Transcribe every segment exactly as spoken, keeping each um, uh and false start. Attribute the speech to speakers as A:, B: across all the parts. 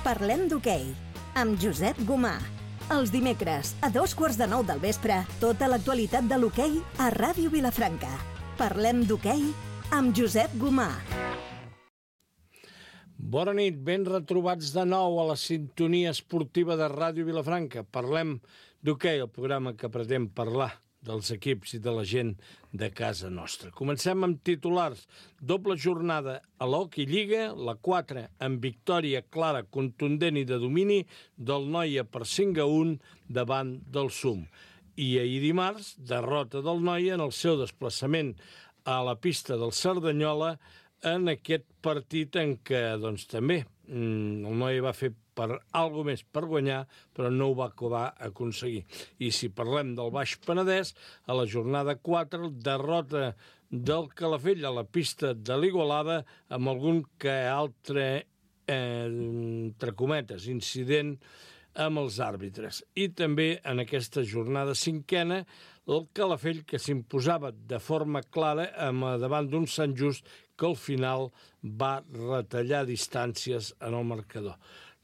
A: Parlem d'hoquei, amb Josep Gomà. Els dimecres, a dos quarts de nou del vespre, tota l'actualitat de l'hoquei a Ràdio Vilafranca. Parlem d'hoquei amb Josep Gomà.
B: Bona nit, ben retrobats de nou a la sintonia esportiva de Ràdio Vilafranca. Parlem d'hoquei, el programa que pretén parlar dels equips i de la gent de casa nostra. Comencem amb titulars. Doble jornada a l'Hockey Lliga, la quatre amb victòria clara, contundent i de domini del Noia per cinc a un davant del Sum. I ahir dimarts, derrota del Noia en el seu desplaçament a la pista del Cerdanyola en aquest partit en què, doncs, també el Noia va fer per algo més per guanyar, però no ho va acabar aconseguir. I si parlem del Baix Penedès, a la jornada quatre, derrota del Calafell a la pista de l'Igualada amb algun que altre, eh, entre cometes, incident amb els àrbitres. I també en aquesta jornada cinquena, el Calafell que s'imposava de forma clara davant d'un Sant Just que al final va retallar distàncies en el marcador.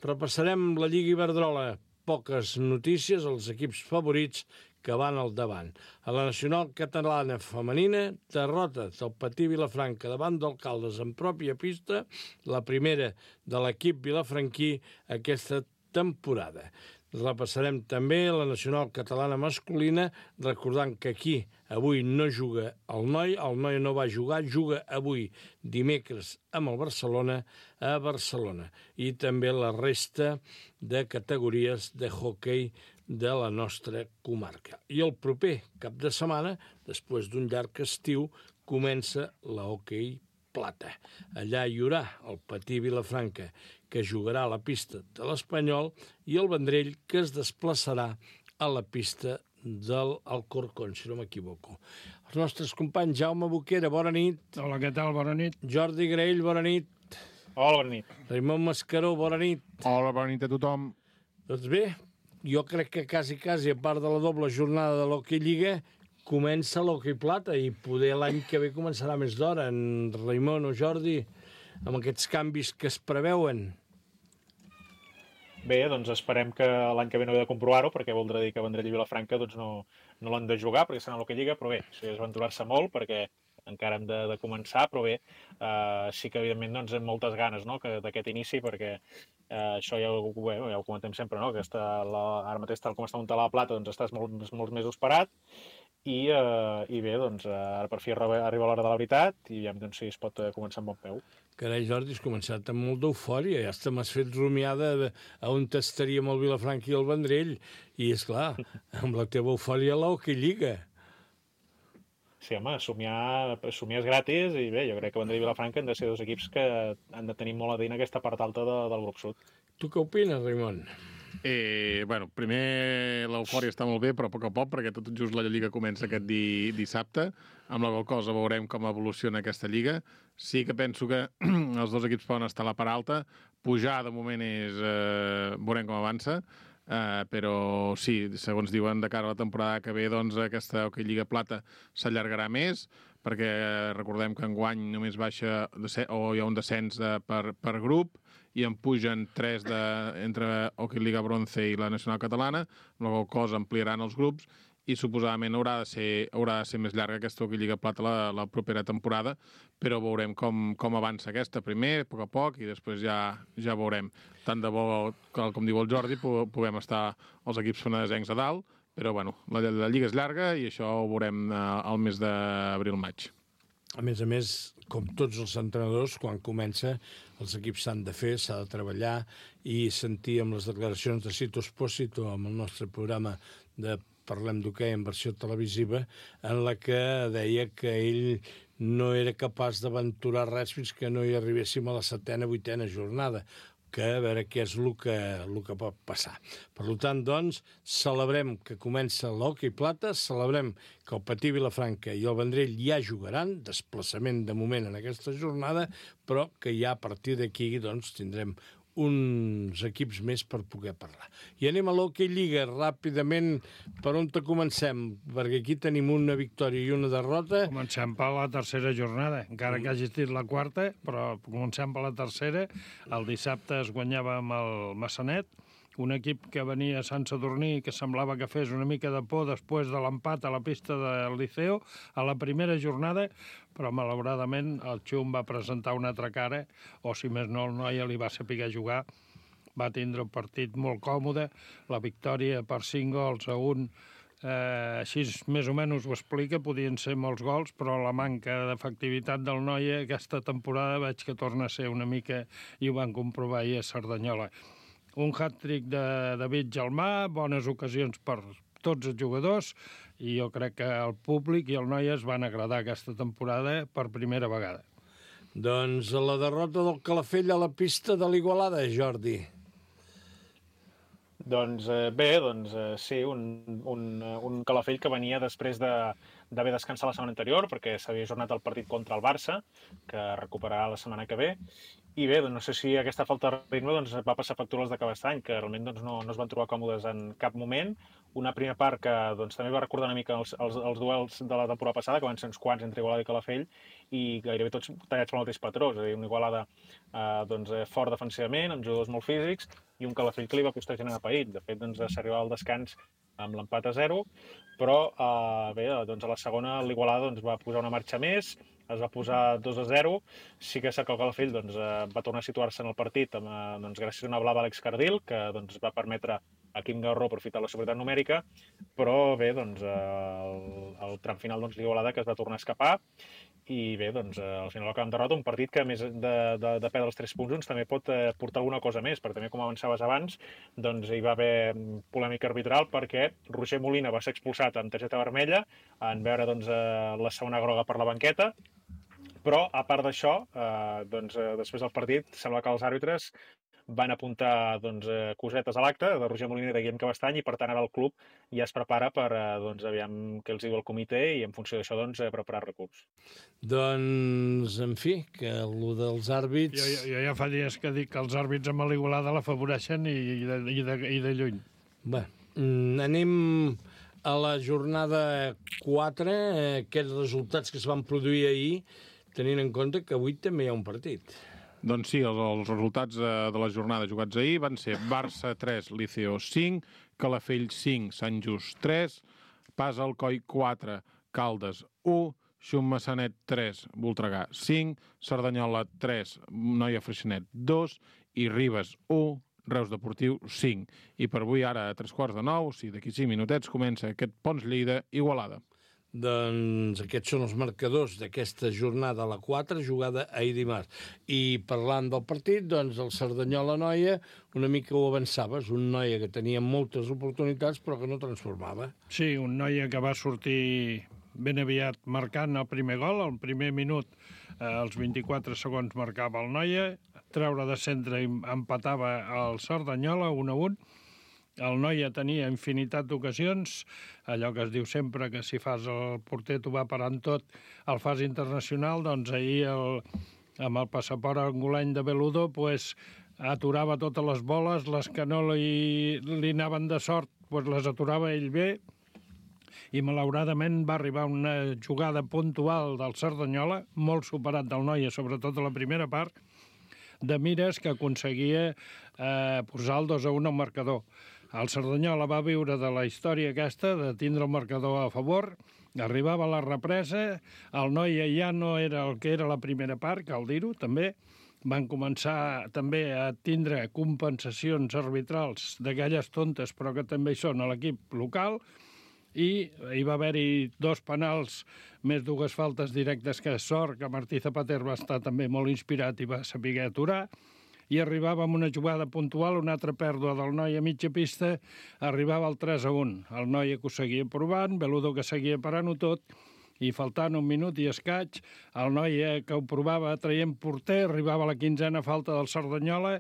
B: Repassarem la Lliga Iberdrola. Poques notícies, els equips favorits que van al davant. A la Nacional Catalana Femenina, derrota del Patí Vilafranca davant d'Alcaldes en pròpia pista, la primera de l'equip vilafranquí aquesta temporada. Repassarem també la Nacional Catalana Masculina, recordant que aquí avui no juga el Noi, el Noi no va jugar, juga avui dimecres amb el Barcelona a Barcelona. I també la resta de categories de hoquei de la nostra comarca. I el proper cap de setmana, després d'un llarg estiu, comença la hoquei plata. Allà hi haurà el Patí Vilafranca, que jugarà a la pista de l'Espanyol, i el Vendrell, que es desplaçarà a la pista del Alcorcón, si no m'equivoco. Els nostres companys, Jaume Boquera, bona nit.
C: Hola, què tal? Bona nit.
B: Jordi Graell, bona nit.
D: Hola, bona nit.
B: Raimon Mascaró, bona nit.
C: Hola, bona nit a tothom.
B: Doncs bé, jo crec que quasi, quasi, a part de la doble jornada de l'Hockey Lliga, comença l'Hockey Plata i poder l'any que ve començarà més d'hora. En Raimon o Jordi, amb aquests canvis que es preveuen.
D: Bé, doncs esperem que l'any que ve no he de comprovar-ho, perquè voldrà dir que Vendrell i Vilafranca doncs, no, no l'han de jugar, perquè estan a l'Hockey Lliga, però bé, això és aventurar-se molt, perquè encara hem de, de començar, però bé, eh, sí que evidentment doncs, hem moltes ganes, no?, d'aquest inici, perquè eh, això ja ho, bé, ja ho comentem sempre, no?, que està la, ara mateix, tal com està muntada la Plata, doncs estàs molts, molts mesos parat, i, uh, i bé, doncs, uh, ara per fi arriba, arriba l'hora de la veritat i ja doncs, si es pot uh, començar amb bon peu.
B: Carai, Jordi, has començat amb molt d'eufòria, ja està, m'has fet rumiar de, a on estaríem el Vilafranca i el Vendrell, i és clar, amb la teva eufòria a l'Hockey Lliga.
D: Sí, home, somiar, somiar és gratis i bé, jo crec que Vendrell i Vilafranca han de ser dos equips que han de tenir molt a dir en aquesta part alta de, del grup sud.
B: Tu què opines, Raimon?
C: Eh, bueno, primer l'eufòria està molt bé, però a poc a poc, perquè tot just la Lliga comença aquest di, dissabte. Amb la qual cosa veurem com evoluciona aquesta Lliga. Sí que penso que els dos equips poden estar a la part alta. Pujar, de moment, és... Eh, veurem com avança. Uh, però sí, segons diuen, de cara a la temporada que ve, doncs aquesta Hockey Lliga Plata s'allargarà més, perquè recordem que enguany només baixa o hi ha un descens de, per, per grup, i en pugen tres de, entre Hockey Lliga Bronze i la Nacional Catalana, amb la qual cosa ampliaran els grups, i suposadament haurà de ser, haurà de ser més llarga aquesta Hockey Lliga Plata la, la propera temporada, però veurem com, com avança aquesta primer, a poc a poc, i després ja, ja veurem. Tant de bo, com diu el Jordi, puguem estar els equips fenedesencs a dalt, però bueno, la, la Lliga és llarga i això ho veurem eh, al mes d'abril-maig.
B: A més a més, com tots els entrenadors, quan comença, els equips s'han de fer, s'ha de treballar, i sentir amb les declaracions de Cito Espósito, amb el nostre programa de Parlem d'hoquei en versió televisiva, en la que deia que ell no era capaç d'aventurar res fins que no hi arribéssim a la setena, vuitena jornada, que a veure què és el que, el que pot passar. Per tant, doncs, celebrem que comença l'Hockey Plata, celebrem que el Patí Vilafranca i el Vendrell ja jugaran, desplaçament de moment en aquesta jornada, però que ja a partir d'aquí doncs, tindrem uns equips més per poder parlar. I anem a l'Hockey Lliga, ràpidament, per on te comencem? Perquè aquí tenim una victòria i una derrota.
E: Comencem per la tercera jornada, encara que hagi estat la quarta, però comencem per la tercera. El dissabte es guanyava amb el Massanet, un equip que venia a Sant Sadurní, que semblava que fes una mica de por després de l'empat a la pista del Liceo, a la primera jornada, però malauradament el Xum va presentar una altra cara, o si més no el noia li va saber jugar, va tindre un partit molt còmode, la victòria per cinc gols a un, eh, així més o menys ho explica, podien ser molts gols, però la manca d'efectivitat del noia aquesta temporada veig que torna a ser una mica, i ho van comprovar ahir a Cerdanyola. Un hat-trick de David Gelmà, bones ocasions per tots els jugadors, i jo crec que el públic i el noia es van agradar aquesta temporada per primera vegada.
B: Doncs la derrota del Calafell a la pista de l'Igualada, Jordi.
D: Doncs eh, bé, doncs eh, sí, un, un, un Calafell que venia després de d'haver descansat la setmana anterior, perquè s'havia jornat el partit contra el Barça, que recuperarà la setmana que ve. I bé, doncs no sé si aquesta falta de ritme doncs, va passar factura als de Cabestany, que realment doncs, no, no es van trobar còmodes en cap moment. Una primera part que doncs, també va recordar una mica els, els, els duels de la temporada passada, que van ser uns quants entre Igualada i Calafell, i gairebé tots tallats pel mateix patró. És a dir, una Igualada eh, doncs, fort defensivament, amb jugadors molt físics, i un Calafell que li va costar generar paït. De fet, doncs, s'arribava al descans amb l'empat a zero, però eh, bé, doncs, a la segona l'Igualada doncs, va posar una marxa més, es va posar dos a zero. Sí que és cert que el Calafell doncs, eh, va tornar a situar-se en el partit amb, eh, doncs, gràcies a una blava a Àlex Cardil, que doncs, va permetre a Quim Garró aprofitar la superioritat numèrica, però bé, doncs, eh, el, el tram final doncs, l'Igualada que es va tornar a escapar, i bé, doncs, eh, al final acabem derrota, un partit que a més de, de, de perdre els tres punts doncs, també pot eh, portar alguna cosa més, perquè també com avançaves abans, doncs hi va haver polèmica arbitral perquè Roger Molina va ser expulsat amb targeta vermella en veure doncs, eh, la segona groga per la banqueta, però a part d'això, eh, doncs, eh, després del partit sembla que els àrbitres van apuntar doncs, eh, cosetes a l'acte de Roger Molina i de Guillem Cabestany, i per tant ara el club ja es prepara per eh, doncs, aviam què els diu el comitè, i en funció d'això doncs, eh, preparar recurs.
B: Doncs, en fi, que el dels àrbits...
E: Jo, jo, jo ja fa dies que dic que els àrbits amb l'Igualada l'afavoreixen i, i, de, i, de, i de lluny.
B: Bé, anem a la jornada quatre, eh, aquests resultats que es van produir ahir, tenint en compte que avui també hi ha un partit.
C: Doncs sí, els, els resultats de, de la jornada jugats ahir van ser Barça tres, Liceo cinc, Calafell cinc, Sant Just tres, Pas Alcoi quatre, Caldes u, Xum Massanet tres, Voltregà cinc, Cerdanyola tres, Noia Freixenet dos i Ribes u, Reus Deportiu cinc. I per avui ara a tres quarts de nou, o sigui, d'aquí cinc minutets, comença aquest Pons Lleida Igualada.
B: Doncs aquests són els marcadors d'aquesta jornada a la quatre, jugada ahir dimarts. I parlant del partit, doncs el Cerdanyola-Noia, una mica ho avançaves, un Noia que tenia moltes oportunitats però que no transformava.
E: Sí, un Noia que va sortir ben aviat marcant el primer gol, el primer minut, eh, als vint-i-quatre segons marcava el Noia, treure de centre i empatava el Cerdanyola un a un. El Noia tenia infinitat d'ocasions, allò que es diu sempre que si fas el porter t'ho va parant tot, el fas internacional, doncs ahir el, amb el passaport angolany de Beludo pues, aturava totes les boles, les que no li, li anaven de sort pues, les aturava ell bé, i malauradament va arribar una jugada puntual del Cerdanyola, molt superat del Noia, sobretot a la primera part, de mires que aconseguia eh, posar el dos a un al marcador. El Cerdanyola va viure de la història aquesta, de tindre el marcador a favor, arribava a la represa, el Noia ja no era el que era la primera part, cal dir-ho, també. Van començar també a tindre compensacions arbitrals d'aquelles tontes, però que també hi són a l'equip local, i hi va haver-hi dos penals, més dues faltes directes, que és sort que Martí Zapater va estar també molt inspirat i va saber aturar, i arribava amb una jugada puntual, una altra pèrdua del Noia a mitja pista, arribava al tres a un. El Noia que ho seguia provant, Beludo que seguia parant-ho tot, i faltant un minut i escaig, el Noia que ho provava traient porter, arribava a la quinzena falta del Cerdanyola,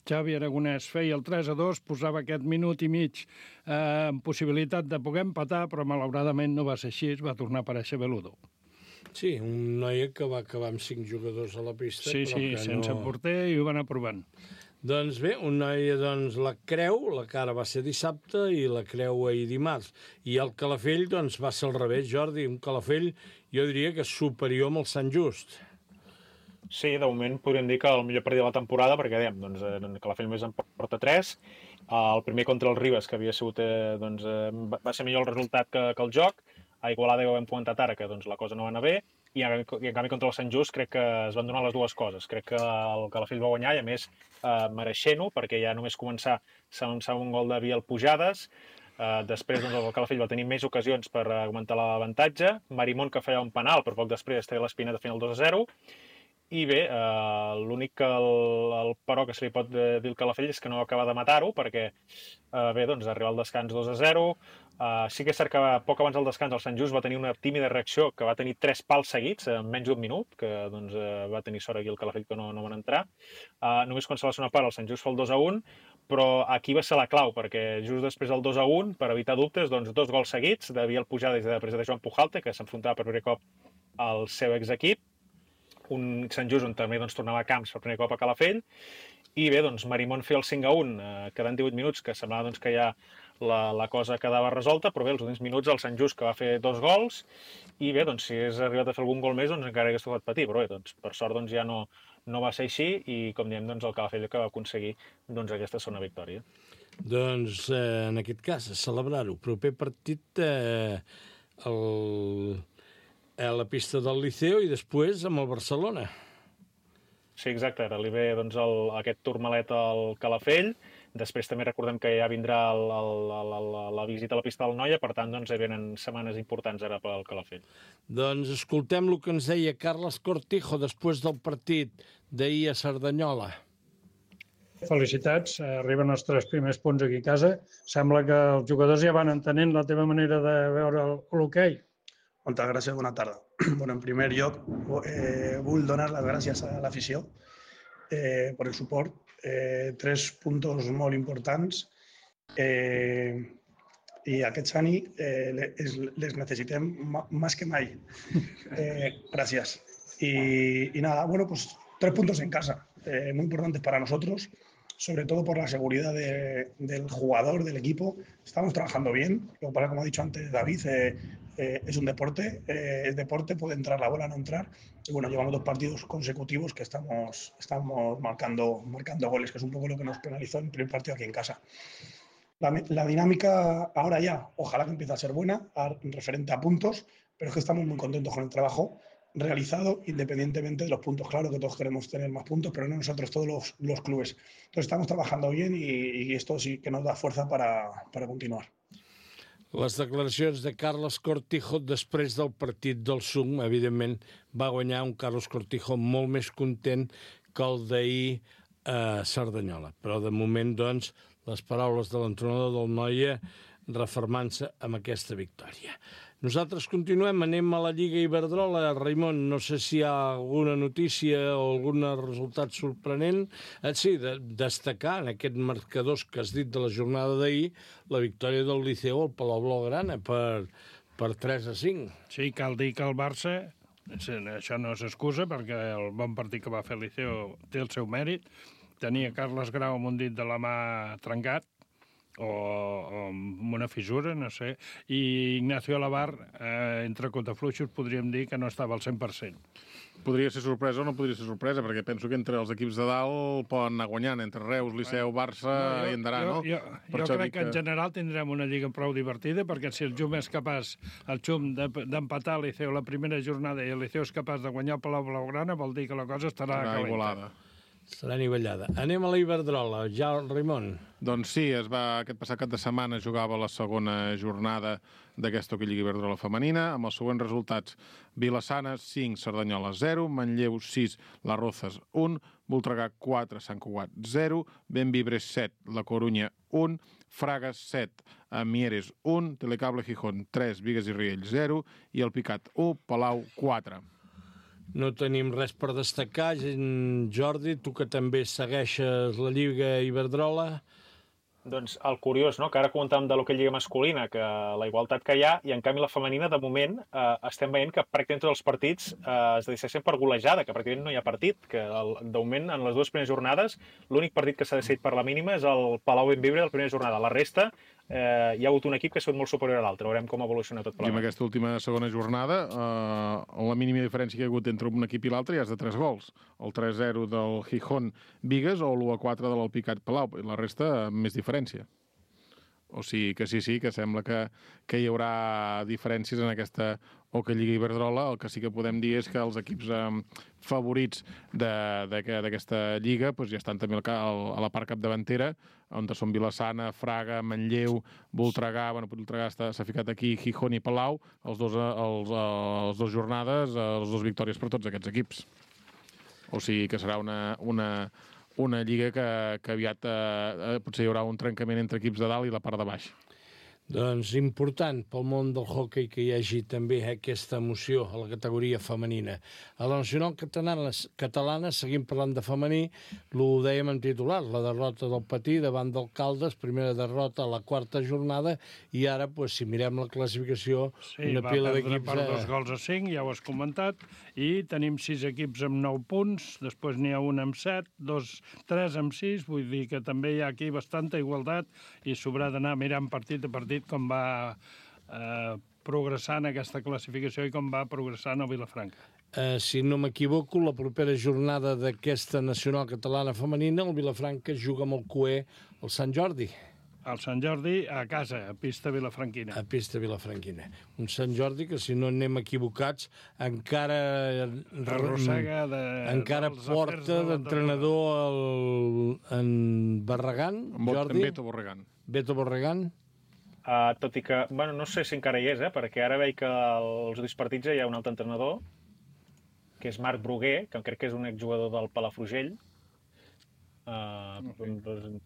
E: Xavi Aragonès feia el tres a dos, posava aquest minut i mig eh, amb possibilitat de poder empatar, però malauradament no va ser així, va tornar a aparèixer Beludo.
B: Sí, un Noia que va acabar amb cinc jugadors a la pista.
E: Sí,
B: però
E: sí,
B: que
E: sense
B: no...
E: porter, i ho van aprovant.
B: Doncs bé, un noia, doncs, la creu, la cara va ser dissabte i la creu ahir dimarts. I el Calafell, doncs, va ser al revés, Jordi. Un Calafell, jo diria que és superior amb el Sant Just.
D: Sí, de moment podríem dir que el millor partit de la temporada, perquè dèiem, doncs, el Calafell més en porta tres. El primer contra el Ribes, que havia sigut, eh, doncs, eh, va ser millor el resultat que, que el joc. A Igualada ja ho hem comentat ara, que doncs, la cosa no va anar bé. I en canvi contra el Sant Just crec que es van donar les dues coses. Crec que el Calafell va guanyar i a més eh, mereixent-ho, perquè ja només començar s'avançava un gol de Biel Pujades. Eh, després doncs, el Calafell va tenir més ocasions per augmentar l'avantatge. Marimón, que feia un penal, però poc després treia l'Espineta fent el dos a zero. I bé, eh, l'únic que el, el però que se li pot dir al Calafell és que no va acabar de matar-ho, perquè eh, bé, doncs, arribar al descans dos a zero. Uh, sí que és cert que poc abans del descans el Sant Just va tenir una tímida reacció que va tenir tres pals seguits en menys d'un minut, que doncs, uh, va tenir sort aquí el Calafell que no, no van entrar. Uh, només quan se va ser una part el Sant Just fa el dos a un, però aquí va ser la clau, perquè just després del dos a un, per evitar dubtes, doncs, dos gols seguits de Biel Pujades i de després de Joan Pujalte, que s'enfrontava per primer cop al seu exequip, un Sant Just on també doncs, tornava a camps per primer cop a Calafell, i bé, doncs, Marimón feia el cinc a un, eh, quedant divuit minuts, que semblava doncs, que ja la, la cosa quedava resolta, però bé, els últims minuts el Sant Just que va fer dos gols, i bé, doncs, si hagués arribat a fer algun gol més, doncs encara hagués tocat patir, però bé, doncs, per sort doncs, ja no, no va ser així, i com diem, doncs, el Calafell que va aconseguir doncs, aquesta segona victòria.
B: Doncs, eh, en aquest cas, a celebrar-ho. Proper partit eh, el, a la pista del Liceo i després amb el Barcelona.
D: Sí, exacte, ara li ve doncs, el, aquest turmalet al Calafell, després també recordem que ja vindrà el, el, el, el, la visita a la pista del Noia, per tant, doncs, hi venen setmanes importants ara pel Calafell.
B: Doncs escoltem el que ens deia Carles Cortijo després del partit d'ahir a Cerdanyola.
E: Felicitats, arriben els tres primers punts aquí a casa. Sembla que els jugadors ja van entenent la teva manera de veure l'hoquei.
F: Moltes gràcies, bona tarda. Bueno, en primer lloc, eh, vull donar les gràcies a l'afició eh, per el suport. Eh, tres puntos molt importants eh, i aquests anys eh, les, les necessitem més que mai. Eh, gràcies. Y, y nada, bueno, pues tres puntos en casa, eh, muy importantes para nosotros, sobre todo por la seguridad de, del jugador, del equipo. Estamos trabajando bien, lo que pasa, como ha dicho antes David, eh, eh, es un deporte, eh, es deporte, puede entrar la bola, no entrar. Y bueno, llevamos dos partidos consecutivos que estamos, estamos marcando, marcando goles, que es un poco lo que nos penalizó en el primer partido aquí en casa. La, la dinámica ahora ya, ojalá que empiece a ser buena, a, referente a puntos, pero es que estamos muy contentos con el trabajo realizado, independientemente de los puntos. Claro que todos queremos tener más puntos, pero no nosotros, todos los, los clubes. Entonces estamos trabajando bien y, y esto sí que nos da fuerza para, para continuar.
B: Les declaracions de Carles Cortijo després del partit del S U M, evidentment, va guanyar un Carles Cortijo molt més content que el d'ahir a Cerdanyola. Però, de moment, doncs, les paraules de l'entrenador del Noia refermant-se amb aquesta victòria. Nosaltres continuem, anem a la Lliga Iberdrola. Raimon, no sé si hi ha alguna notícia o algun resultat sorprenent. Eh, sí, de, destacar en aquest marcadors que has dit de la jornada d'ahir la victòria del Liceo al Palau Blaugrana per, per tres a cinc.
E: Sí, cal dir que el Barça, això no s'excusa perquè el bon partit que va fer el Liceo té el seu mèrit. Tenia Carles Grau amb un dit de la mà trencat, o, o amb una fissura, no sé, i Ignacio Alabar, eh, entre contafluixos, podríem dir que no estava al cent per cent.
C: Podria ser sorpresa o no podria ser sorpresa, perquè penso que entre els equips de dalt poden anar guanyant, entre Reus, Liceu, Barça no, jo, i Endarà,
E: jo,
C: no?
E: Jo, jo crec que en general tindrem una lliga prou divertida, perquè si el Jum és capaç, el Jum, d'empatar el Liceu la primera jornada i el Liceu és capaç de guanyar el Palau Blaugrana, vol dir que la cosa estarà calenta.
B: Serà nivellada. Anem a la Iberdrola. Ja, Raimon.
C: Doncs sí, es va, aquest passat cap de setmana jugava la segona jornada d'aquesta Lliga Iberdrola femenina, amb els següents resultats: Vilassana cinc, Cerdanyola zero, Manlleu sis, Las Rozas un, Voltregà quatre, Sant Cugat zero, Bemvibres set, La Corunya un, Fragas set, Mieres un, Telecable Gijón tres, Bigues i Riells zero i el Picat u, Palau quatre.
B: No tenim res per destacar. Jordi, tu que també segueixes la Lliga Iberdrola.
D: Doncs el curiós, no?, que ara comentàvem de l'hoquei lliga masculina, que la igualtat que hi ha, i en canvi la femenina, de moment, eh, estem veient que pràcticament tots els partits eh, es decideixen per golejada, que pràcticament no hi ha partit, que el, de moment, en les dues primeres jornades, l'únic partit que s'ha decidit per la mínima és el Palau Benvibre de la primera jornada. La resta, eh, hi ha hagut un equip que ha sigut molt superior a l'altre. Veurem com evoluciona tot plegat.
C: I en aquesta última segona jornada, eh, la mínima diferència que hi ha hagut entre un equip i l'altre ja és de tres gols. El tres zero del Gijón Bigues o l'u a quatre de l'Alpicat Palau. I la resta, més diferència. O sigui que sí, sí, que sembla que, que hi haurà diferències en aquesta Hockey Lliga Iberdrola. El que sí que podem dir és que els equips eh, favorits d'aquesta lliga pues, ja estan també al, al, a la part capdavantera, on són Vilassana, Fraga, Manlleu, Voltregà, bueno, Voltregà s'ha ficat aquí, Gijón i Palau, els dos, els, els dos jornades, els dos victòries per tots aquests equips. O sigui que serà una... una una lliga que, que aviat eh, potser hi haurà un trencament entre equips de dalt i la part de baix.
B: Doncs important pel món del hoquei que hi hagi també aquesta emoció a la categoria femenina. A la nacional catalana, catalana seguim parlant de femení, ho dèiem en titular, la derrota del Patí davant del Caldes, primera derrota a la quarta jornada, i ara, pues, si mirem la classificació,
E: sí,
B: una pila d'equips...
E: Sí, va perdre per dos gols a cinc, ja ho has comentat, i tenim sis equips amb nou punts, després n'hi ha un amb set, dos, tres amb sis, vull dir que també hi ha aquí bastanta igualtat i s'haurà d'anar mirant partit a partit com va eh, progressant aquesta classificació i com va progressant el Vilafranca.
B: Eh, si no m'equivoco, la propera jornada d'aquesta nacional catalana femenina, el Vilafranca juga amb el Cué al Sant Jordi.
E: Al Sant Jordi, a casa, a pista vilafranquina.
B: A pista vilafranquina. Un Sant Jordi que, si no anem equivocats, encara
E: arrossega de,
B: encara porta d'entrenador el, en Barragán, Jordi?
C: En Beto Borregán.
B: Beto Borregán.
D: Uh, tot i que, bueno, no sé si encara hi és, eh, perquè ara veig que als últims partits hi ha un altre entrenador, que és Marc Bruguer, que crec que és un exjugador del Palafrugell. Uh, okay.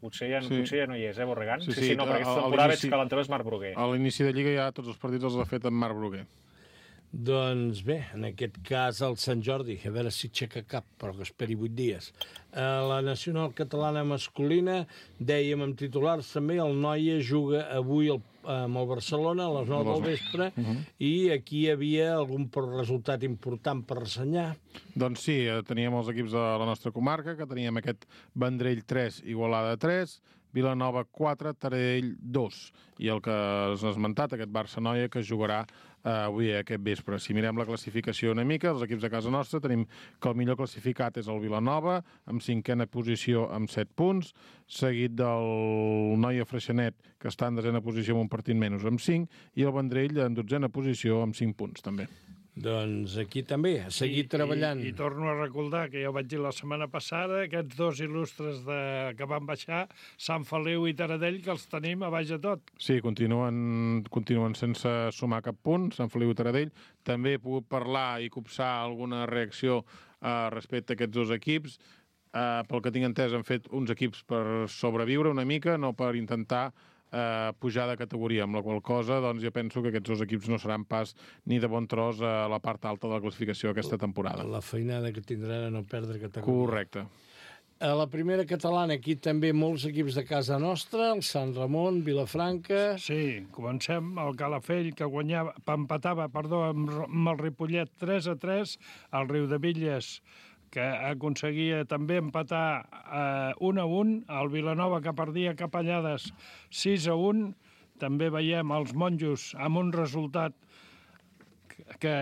D: potser, ja, sí. potser ja no hi és, eh, Borregán? Sí, sí, sí, sí no, perquè aquesta temporada veig que l'entrenador és Marc Bruguer.
C: A l'inici de Lliga ja tots els partits els ha fet amb Marc Bruguer.
B: Doncs bé, en aquest cas el Sant Jordi, a veure si aixeca cap, però que esperi vuit dies. A la nacional catalana masculina, dèiem amb titulars també, el Noia juga avui el, amb el Barcelona a les nou del vespre, uh -huh. i aquí hi havia algun resultat important per ressenyar.
C: Doncs sí, teníem els equips de la nostra comarca, que teníem aquest Vendrell tres, Igualada tres, Vilanova quatre, Taradell dos, i el que has esmentat, aquest Barça-Noia, que jugarà eh, avui aquest vespre. Si mirem la classificació una mica, els equips de casa nostra, tenim que el millor classificat és el Vilanova, amb cinquena posició amb set punts, seguit del Noia Freixenet, que està en desena posició amb un partit menys, amb cinc, i el Vendrell en dotzena posició amb cinc punts, també.
B: Doncs aquí també, a seguir I, treballant.
E: I, I torno a recordar que ja ho vaig dir la setmana passada, aquests dos il·lustres de, que van baixar, Sant Feliu i Taradell, que els tenim a baix de tot.
C: Sí, continuen, continuen sense sumar cap punt, Sant Feliu i Taradell. També he pogut parlar i copsar alguna reacció eh, respecte a aquests dos equips. Eh, pel que tinc entès, han fet uns equips per sobreviure una mica, no per intentar Uh, pujar de categoria, amb la qual cosa doncs, jo penso que aquests dos equips no seran pas ni de bon tros a la part alta de la classificació aquesta temporada.
B: La feinada que tindran a no perdre categoria.
C: Correcte.
B: A la primera catalana, aquí també molts equips de casa nostra, el Sant Ramon, Vilafranca...
E: Sí, comencem. El Calafell, que guanyava, empatava perdó, amb, amb el Ripollet tres a tres, el Riudebitlles, que aconseguia també empatar eh, un a un, el Vilanova, que perdia Capellades sis a un, també veiem els monjos amb un resultat que, que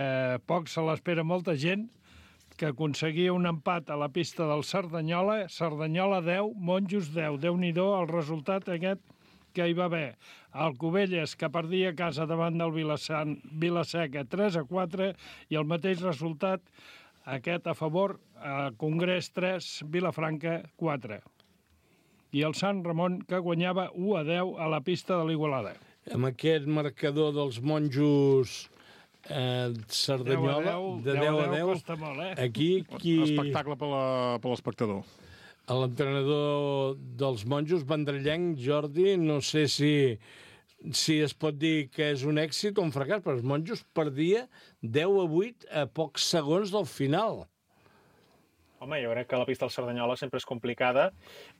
E: poc se l'espera molta gent, que aconseguia un empat a la pista del Cerdanyola, Cerdanyola deu, monjos deu, Déu-n'hi-do el resultat aquest que hi va haver. El Cubelles, que perdia a casa davant del Vilasan, Vilaseca tres a quatre, i el mateix resultat aquest a favor, a Congrés tres, Vilafranca quatre. I el Sant Ramon, que guanyava u a deu a la pista de l'Igualada.
B: Amb aquest marcador dels monjos eh, Cerdanyola, de deu a deu,
E: costa molt, eh?
B: Aquí... Qui...
C: Espectacle per l'espectador.
B: L'entrenador dels monjos, vendrellenc, Jordi, no sé si... si es pot dir que és un èxit o un fracàs, però els monjos perdia deu a vuit a pocs segons del final.
D: Home, jo crec que la pista del Cerdanyola sempre és complicada.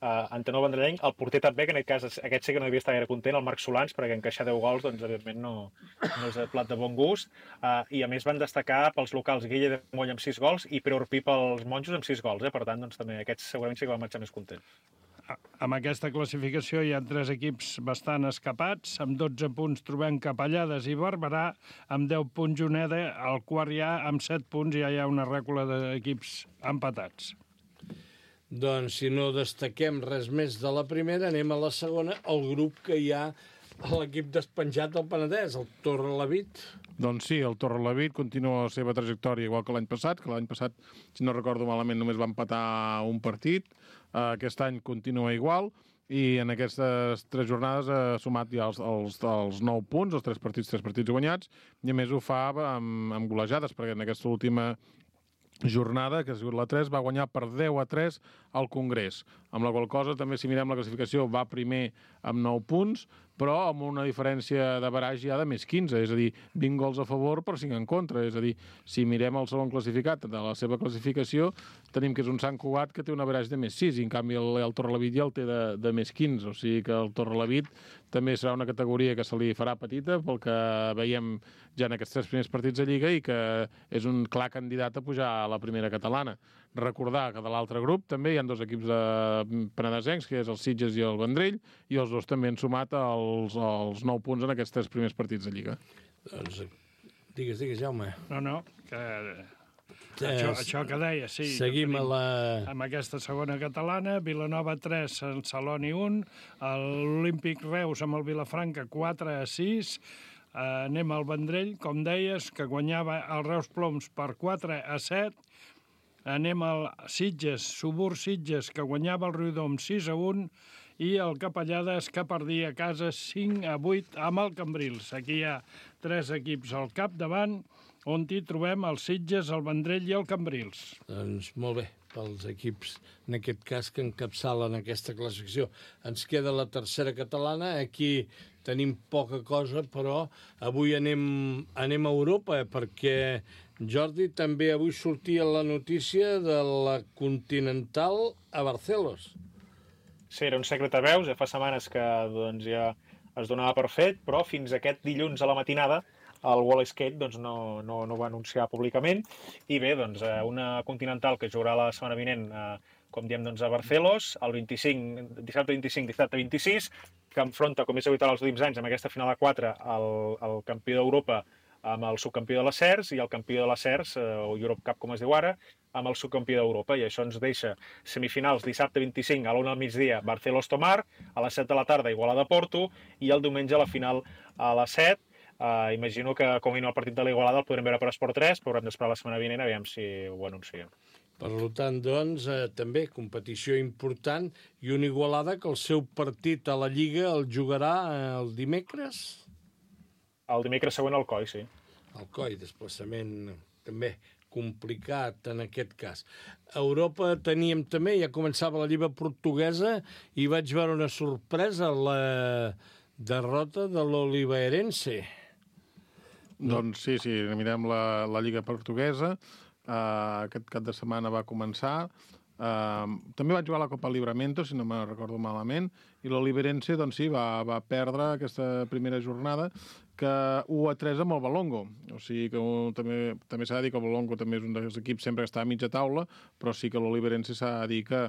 D: Uh, Antenor Vendrellenc, el porter també, que en aquest cas aquest sí que no devia estar gaire content, el Marc Solans, perquè encaixar deu gols, doncs, evidentment, no, no és de plat de bon gust. Uh, I, a més, van destacar pels locals Guille de Moll amb sis gols i Pere Orpí pels monjos amb sis gols. Eh? Per tant, doncs, també aquests segurament sí que van marxar més contents.
E: Amb aquesta classificació hi ha tres equips bastant escapats. Amb dotze punts trobem Capellades i Barberà. Amb deu punts Juneda. Al quart ja, amb set punts, ja hi ha una rècula d'equips empatats.
B: Doncs, si no destaquem res més de la primera, anem a la segona, el grup que hi ha a l'equip despenjat del Penedès, el Torrelavit.
C: Doncs sí, el Torrelavit continua la seva trajectòria igual que l'any passat, que l'any passat, si no recordo malament, només va empatar un partit. Aquest any continua igual i en aquestes tres jornades ha sumat ja els, els, els nou punts, els tres partits, tres partits guanyats, i a més ho fa amb, amb golejades, perquè en aquesta última jornada, que ha sigut la tres, va guanyar per deu a tres al Congrés. Amb la qual cosa, també, si mirem la classificació, va primer amb nou punts, però amb una diferència de baraj ja de més quinze, és a dir, vint gols a favor per cinc en contra. És a dir, si mirem el segon classificat de la seva classificació, tenim que és un Sant Cugat que té un baraj de més sis, i en canvi el, el Torrelavit ja el té de, de més quinze. O sigui que el Torrelavit també serà una categoria que se li farà petita pel que veiem ja en aquests tres primers partits de Lliga i que és un clar candidat a pujar a la primera catalana. Recordar que de l'altre grup també hi ha dos equips de penedesencs, que és el Sitges i el Vendrell, i els dos també han sumat els, els nou punts en aquests tres primers partits de Lliga.
B: Doncs, digues, digues, Jaume.
E: No, no, que... Això, això que deia, sí.
B: Seguim a la...
E: Amb aquesta segona catalana, Vilanova tres, Sant Celoni un, l'Olímpic Reus amb el Vilafranca quatre a sis, uh, anem al Vendrell, com deies, que guanyava el Reus Ploms per quatre a set, anem al Sitges, Subur Sitges, que guanyava el Riudom sis a un, i el Capellades, que perdia a casa cinc a vuit amb el Cambrils. Aquí hi ha tres equips al capdavant, on hi trobem el Sitges, el Vendrell i el Cambrils.
B: Doncs molt bé, pels equips, en aquest cas, que encapçalen aquesta classificació. Ens queda la tercera catalana, aquí tenim poca cosa, però avui anem, anem a Europa, perquè, Jordi, també avui sortia la notícia de la Continental a Barcelos.
D: Sí, era un secret a veus, ja fa setmanes que doncs, ja es donava per fet, però fins aquest dilluns a la matinada el Wall Skate doncs, no, no, no ho va anunciar públicament. I bé, doncs, una Continental que jugarà la setmana vinent, eh, com diem, doncs, a Barcelos, el vint-i-cinc, dissabte vint-i-cinc, dissabte vint-i-sis, que enfronta, com és habitual els últims anys, amb aquesta final a quatre, el, el campió d'Europa amb el subcampió de la C E R S i el campió de la C E R S, eh, o Europe Cup, com es diu ara, amb el subcampió d'Europa. I això ens deixa semifinals dissabte vint-i-cinc a l'una al migdia, Barcelos-Tomar, a les set de la tarda, Igualada-Porto, i el diumenge la final a les set. Uh, imagino que, com a mínim, el partit de l'Igualada el podrem veure per Esport tres, però haurem d'esperar la setmana vinent, aviam si ho anunciem.
B: Per tant, doncs, eh, també competició important i un Igualada que el seu partit a la Lliga el jugarà el dimecres?
D: El dimecres següent al Coi, sí.
B: El Coi, desplaçament també complicat en aquest cas. A Europa teníem també, ja començava la Lliga portuguesa i vaig veure una sorpresa, la derrota de l'Oliveirense.
C: Doncs sí, sí, mirem la, la Lliga portuguesa. Uh, aquest cap de setmana va començar. Uh, també van jugar la Copa Livramento, si no me recordo malament, i l'Oliveirense, doncs sí, va, va perdre aquesta primera jornada, que u a tres amb el Valongo. O sigui que un, també, també s'ha de dir que el Valongo també és un dels equips sempre que està a mitja taula, però sí que l'Oliveirense s'ha de dir que,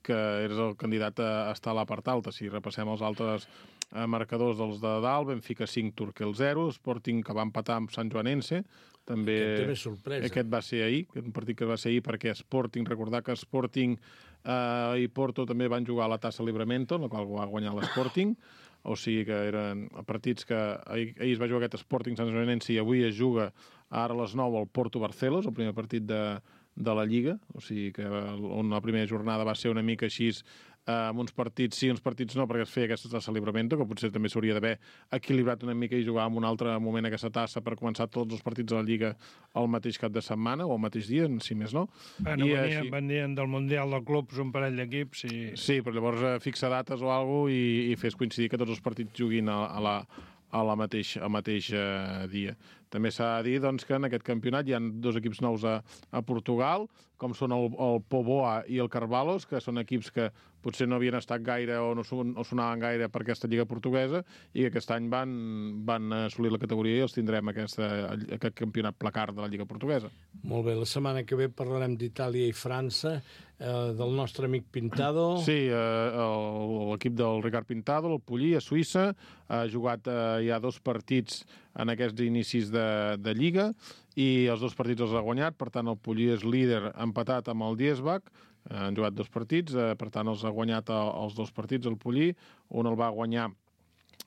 C: que és el candidat a estar a la part alta. Si repassem els altres eh, marcadors dels de dalt, Benfica cinc, Turquel zero, Sporting, que va empatar amb Sant Joanense, també...
B: Aquest també és sorpresa.
C: Aquest va ser ahir, un partit que va ser ahir perquè Sporting, recordar que Sporting eh, i Porto també van jugar a la Tassa Livramento, en la qual va guanyar l'Sporting, o sigui que eren partits que ahir, ahir es va jugar aquest Sporting Sant Joanense i avui es juga ara a les nou al Porto Barcelos, el primer partit de, de la Lliga, o sigui que on la primera jornada va ser una mica així, eh, amb uns partits sí, uns partits no, perquè es feia aquesta tassa Livramento, que potser també s'hauria d'haver equilibrat una mica i jugar en un altre moment aquesta tassa per començar tots els partits de la Lliga al mateix cap de setmana o al mateix dia, si més no.
E: Bueno,
C: I
E: venien,
C: així...
E: venien del Mundial de Clubs un parell d'equips i...
C: Sí, però llavors eh, fixa dates o alguna cosa i, i fes coincidir que tots els partits juguin a, a la a la mateix, al mateix eh, dia. També s'ha de dir doncs, que en aquest campionat hi ha dos equips nous a, a Portugal, com són el, el Póvoa i el Carvalhos, que són equips que potser no havien estat gaire o no, son, no sonaven gaire per aquesta lliga portuguesa i que aquest any van, van assolir la categoria i els tindrem aquesta, aquest campionat placar de la lliga portuguesa.
B: Molt bé, la setmana que ve parlarem d'Itàlia i França, eh, del nostre amic Pintado.
C: Sí, eh, l'equip del Ricard Pintado, el Pollí, a Suïssa, ha jugat eh, ja dos partits en aquests inicis de, de Lliga i els dos partits els ha guanyat, per tant el Pollí és líder empatat amb el Diesbach, eh, han jugat dos partits, eh, per tant els ha guanyat el, els dos partits el Pollí, un el va guanyar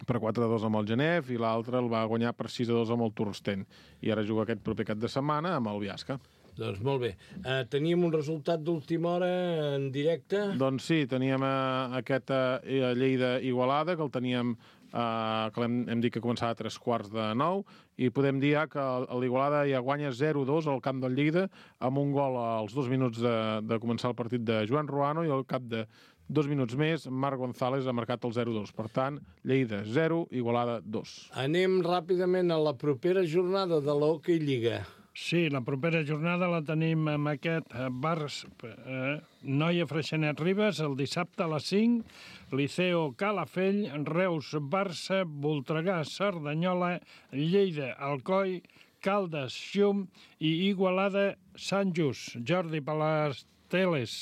C: per quatre a dos amb el Genève i l'altre el va guanyar per sis a dos amb el Tursten. I ara juga aquest proper cap de setmana amb el Biasca.
B: Doncs molt bé. Uh, teníem un resultat d'última hora en directe?
C: Doncs sí, teníem uh, aquest uh, Lleida-Igualada, que el teníem, uh, que hem, hem dit que començava a tres quarts de nou, i podem dir ja que l'Igualada ja guanya zero a dos al camp del Lleida, amb un gol als dos minuts de, de començar el partit de Joan Ruano, i al cap de dos minuts més, Marc González ha marcat el zero a dos. Per tant, Lleida zero, Igualada dos.
B: Anem ràpidament a la propera jornada de l'Hockey Lliga.
E: Sí, la propera jornada la tenim amb aquest Bars, eh, Noia Freixenet Ribes, el dissabte a les cinc, Liceo Calafell, Reus Barça, Voltregà Cerdanyola, Lleida Alcoi, Caldes Xum i Igualada Sant Just. Jordi, per les teles.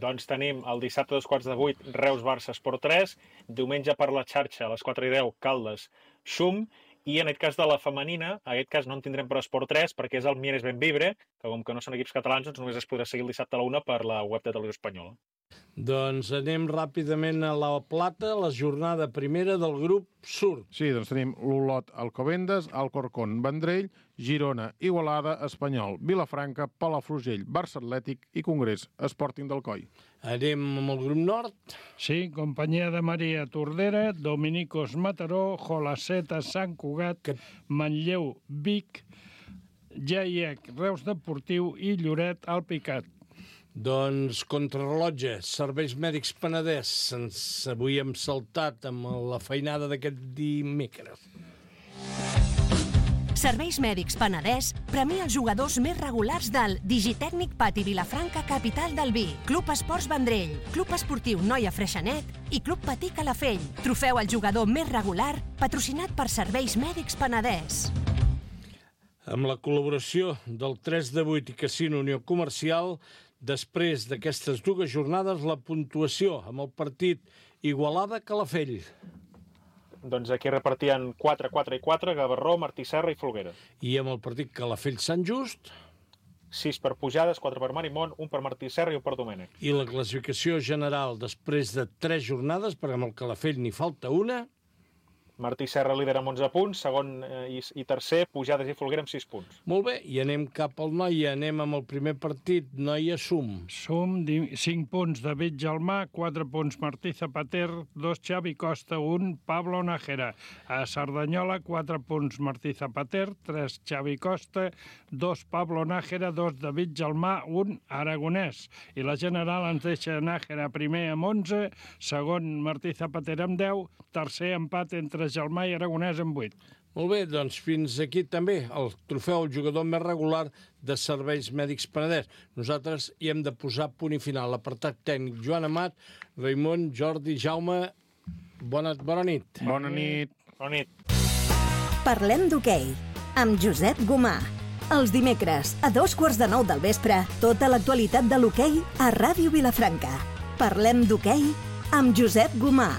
D: Doncs tenim el dissabte a dos quarts de vuit, Reus Barça Esport tres, diumenge per la xarxa a les quatre i deu, Caldes Xum, i en aquest cas de la femenina, en aquest cas no en tindrem per Esport tres perquè és el Mieres Benvibre, que com que no són equips catalans, doncs només es podrà seguir el dissabte a la una per la web de Televisió Espanyola.
B: Doncs anem ràpidament a la Plata, la jornada primera del grup Sur.
C: Sí, doncs tenim l'Olot Alcobendas, Alcorcón Vendrell, Girona, Igualada, Espanyol, Vilafranca, Palafrugell, Barça Atlètic i Congrés, Sporting d'Alcoi.
B: Anem amb el grup Nord.
E: Sí, Companyia de Maria Tordera, Dominicos Mataró, Jolaceta Sant Cugat, que... Manlleu Vic, Jaiec Reus Deportiu i Lloret Alpicat.
B: Doncs contrarrellotge, Serveis Mèdics Penedès. Ens avui hem saltat amb la feinada d'aquest dimecres.
A: Serveis Mèdics Penedès premia els jugadors més regulars del Digitècnic Pati Vilafranca, capital del vi, Club Esports Vendrell, Club Esportiu Noia Freixenet i Club Patí Calafell. Trofeu al jugador més regular, patrocinat per Serveis Mèdics Penedès.
B: Amb la col·laboració del tres de vuit i Casino Unió Comercial, després d'aquestes dues jornades, la puntuació amb el partit Igualada-Calafell.
D: Doncs aquí repartien quatre, quatre i quatre, Gavarró, Martí Serra i Folguera.
B: I amb el partit Calafell-Sant Just?
D: sis per Pujades, quatre per Marimón, un per Martí Serra i un per Domènec.
B: I la classificació general després de tres jornades, perquè amb el Calafell n'hi falta una...
D: Martí Serra lidera amb onze punts, segon eh, i, i tercer, Pujades i Folguera amb sis punts.
B: Molt bé, i anem cap al Noia, anem amb el primer partit, Noia-Sum.
E: Sum, cinc punts David Gelmà, quatre punts Martí Zapater, dos Xavi Costa, un Pablo Nájera. A Cerdanyola, quatre punts Martí Zapater, tres Xavi Costa, dos Pablo Nájera, dos David Gelmà, un Aragonès. I la general ens deixa Nájera primer amb onze, segon Martí Zapater amb deu, tercer empat entre Gelmà i Aragonès amb vuit.
B: Molt bé, doncs fins aquí també el trofeu al jugador més regular de Serveis Mèdics Penedès. Nosaltres hi hem de posar punt i final. L'apartat tècnic Joan Amat, Raimon, Jordi, Jaume, bona, bona nit.
C: Bona nit.
D: Bona nit.
A: Parlem d'hoquei amb Josep Gomà. Els dimecres, a dos quarts de nou del vespre, tota l'actualitat de l'hoquei a Ràdio Vilafranca. Parlem d'hoquei amb Josep Gomà.